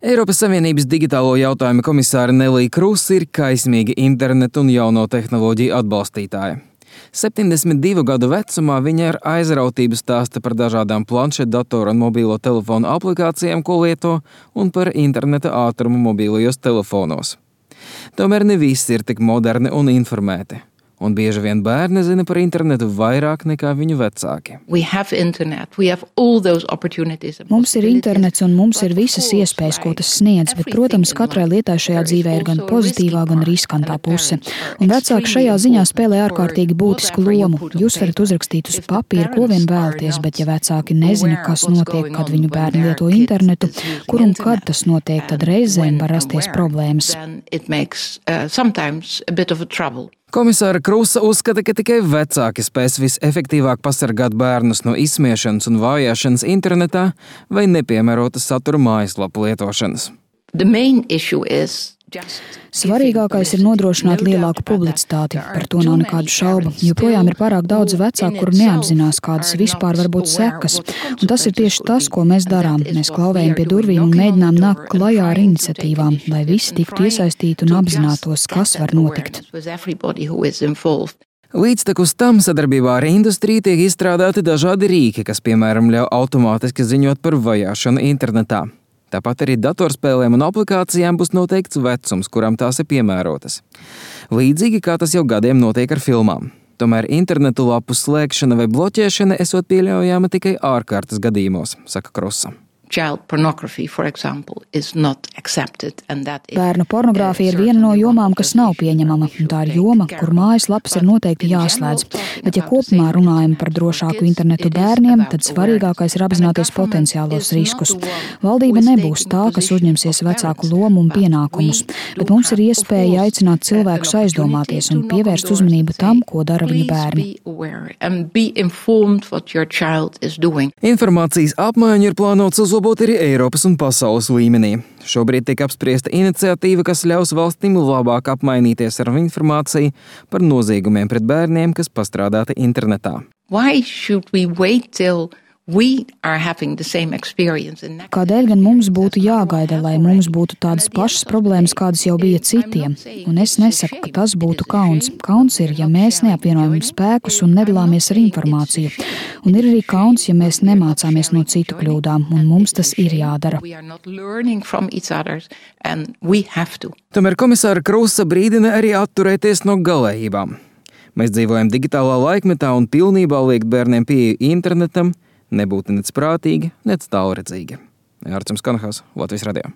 Eiropas Savienības digitālo jautājumu komisāre Nelija Krusa ir kaismīga internetu un jauno tehnoloģiju atbalstītāja. 72 gadu vecumā viņa ar aizrautību stāsta par dažādām planšetdatoru un mobīlo telefonu aplikācijām, ko lieto, un par interneta ātrumu mobīlajos telefonos. Tomēr ne visi ir tik moderni un informēti. Un bieži vien bērni zina par internetu vairāk nekā viņu vecāki. Mums ir internets un mums ir visas iespējas, ko tas sniedz, bet, protams, katrai lietai šajā dzīvē ir gan pozitīvā, gan riskantā puse. Un vecāki šajā ziņā spēlē ārkārtīgi būtisku lomu. Jūs varat uzrakstīt uz papīra, ko vien vēlaties, bet ja vecāki nezina, kas notiek, kad viņu bērni lieto internetu, kur un kad tas notiek, tad reizēm var rasties problēmas. Komisāra Krusa uzskata, ka tikai vecāki spēs visefektīvāk pasargāt bērnus no izsmiešanas un vājāšanas internetā vai nepiemērota satura mājaslapu lietošanas. Svarīgākais ir nodrošināt lielāku publicitāti, par to nav nekādu šaubu. Joprojām ir pārāk daudz vecāku, kuri neapzinās, kādas vispār var būt sekas. Un tas ir tieši tas, ko mēs darām. Mēs klauvējam pie durvīm un mēģinām nākt klajā ar iniciatīvām, lai visi tiktu iesaistīti un apzinātos, kas var notikt. Līdztekus tam sadarbībā ar industriju tiek izstrādāti dažādi rīki, kas, piemēram, ļauj automātiski ziņot par vajāšanu internetā. Tāpat arī datorspēlēm un aplikācijām būs noteikts vecums, kuram tās ir piemērotas. Līdzīgi kā tas jau gadiem notiek ar filmām. Tomēr internetu lapu slēgšana vai bloķēšana esot pieļaujama tikai ārkārtas gadījumos, saka Krusa. Bērnu pornogrāfija ir viena no jomām, kas nav pieņemama, un tā ir joma, kur mājaslapas ir noteikti jāslēdz. Bet ja kopumā runājam par drošāku internetu bērniem, tad svarīgākais ir apzināties potenciālos riskus. Valdība nebūs tā, kas uzņemsies vecāku lomu un pienākumus, bet mums ir iespēja aicināt cilvēkus aizdomāties un pievērst uzmanību tam, ko dara viņu bērni. Informācijas apmaiņu ir plānots uzlabot arī Eiropas un pasaules līmenī. Šobrīd tiek apspriesta iniciatīva, kas ļaus valstīm labāk apmainīties ar informāciju par noziegumiem pret bērniem, kas pastrādāti internetā. Kādēļ gan mums būtu jāgaida, lai mums būtu tādas pašas problēmas, kādas jau bija citiem? Un es nesaku, ka tas būtu kauns. Kauns ir, ja mēs neapvienojam spēkus un nedalāmies ar informāciju. Un ir arī kauns, ja mēs nemācāmies no citu kļūdām, un mums tas ir jādara. Tomēr komisāra Krusa brīdina arī atturēties no galējībām. Mēs dzīvojam digitālā laikmetā un pilnībā liekt bērniem pieeju internetam nebūtu nec prātīgi, nec tālredzīgi. Ārcums Kanahās, Latvijas radio.